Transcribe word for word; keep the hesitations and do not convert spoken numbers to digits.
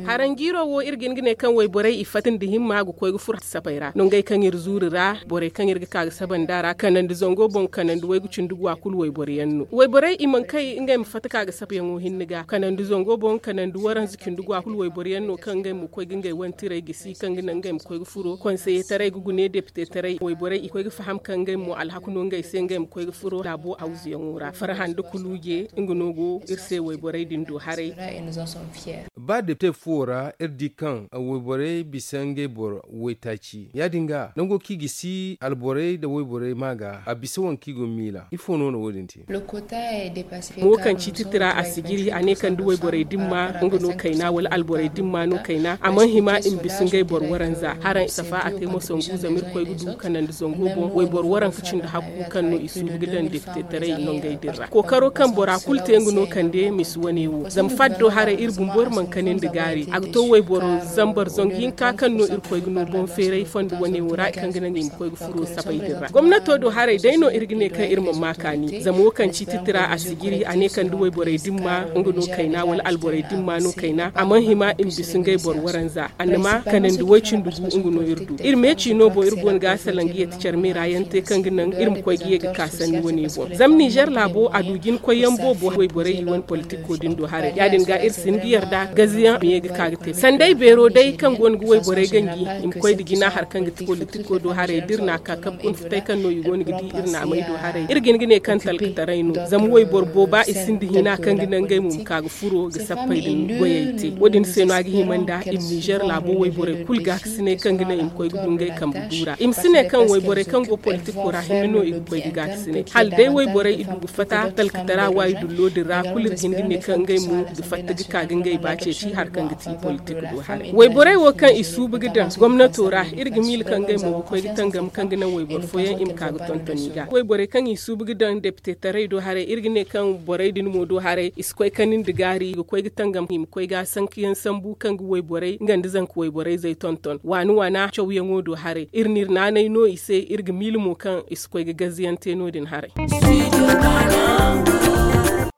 Haranjiiro wo iri ga hin ga ne kaŋ wayborey i fatta nda himma ga koy ga furo sapey ra nongey kaŋ iri zuuri ra, borey kaŋ iri ga ka ga saba nd'a ra kanandi zango boŋ kanandi waygu cindi gwa kulu wayboro yaŋ no. Wayborey i mana kay ngey ma fatta ka ga sabayaŋo hinne ga kanandi zango boŋ kanandi waranza cindi gwa kulu wayboro yaŋ no kaŋ ngey ma koy ga ngey wane tirey gisi kaŋ ga naŋ ngey ma koy ga furo konseye taray ga gune depite taray wayborey i koy ga faham kaŋ ngey mo alhaku no ngey se ngey ma koy ga furo laabo hawzuyaŋo ra farhan da kuluuje nga no go iri se wayborey din do haray. Ba depite fuwo ra iri di kaŋ wayborey bisa ngey boro waytaaci ya- din ga nango kaŋ i ga si alborey nda wayborey ma ga a bisa wane kaŋ i go miila ifo no no wo- din te? Mo kaŋ ci titira a si jiri a ne kaŋ da wayborey dimma nga no kayna wala alborey dimma no kayna a mana hima i ma bisa ngey boro waranza haraŋ safa a te mo sangu zama iri koy ga du kanandi zango boŋ wayboro waranka cindi hakku kaŋ no i suubu ga daŋ depitetaray nongey din ra kookaro kaŋ bora kulu te nga no kande misi wane wo zama faddo haray iri bumbo iri mana kani nda gaari a ga to wayboro zambar zangu hinka kaŋ no iri koy ga no boŋ feeray fondo wane wo ra kaŋ ga naŋ i ma koy ga furo sapey din ra gomnato do haray day no iri ga ne kaŋ iri ma ma kaani zama wo kaŋ ci titira a si jiri a ne kaŋ da wayborey dimma nga no kayna wala alborey dimma no kayna a mana hima i ma bisa ngey boro waranza annama kanandi way-cindi gu nga no iri du iri meeci no boŋ iri go no ga salaŋ ga yeeti care meera yaŋ te kaŋ ga naŋ iri ma koy ga ye ga ka sanni wane boŋ zama nizer laabo a du jina koyyaŋ boobo wayborey i wane politiko din do haray ya- din ga iri si hin ga yarda gaziyaŋ ma ye ga ka ga te sanday beero day kaŋ go no ga wayborey ganji i ma koy nda jina hari kaŋ ga ti politiko do haray da iri n'a ka kabe kuna futay kaŋ no i go no ga di iri naamey do haray iri ga hin ga ne kaŋ talkataray no zama wayboro booba i sinda hina kaŋ ga naŋ ngey mo ma ka ga furo ga sappey din goyey te wo- din se no a ga hima nda i ma nizer laabo wayborey kulu gaakasinay kaŋ ga naŋ i ma koy ga du ngey kambe du ra i ma si ne kaŋ wayborey kaŋ go politiko ra hinne no i ga koy ga gaakasinay hala day wayborey i du ga fatta talkatara waayi dullo din ra kulu iri ga hin ga ne kaŋ ngey mo ga fatta ga ka ga ngey ba ceeci hari kaŋ ga ti politik do haray wayborey wo kaŋ i suubu ga daŋ gomnato ra iri ga miila kaŋ ngey mo ga koy ga tangam kaŋ ga naŋ wayboro fooyaŋ i ma ka ga tonton i ga wayborey kaŋ i suubu ga daŋ depitetaray do haray iri ga ne kaŋ borey din mo do haray i si koy kani nda gaari i ga koy ga tangam i ma koy ga sankayaŋ sambu kaŋ ga wayborey nga nda zanka wayborey zey tonton waana waana cawyaŋo do haray iri n'iri naanay no i se iri ga miila mo kaŋ i si koy ga gaziyaŋ te no- din haray.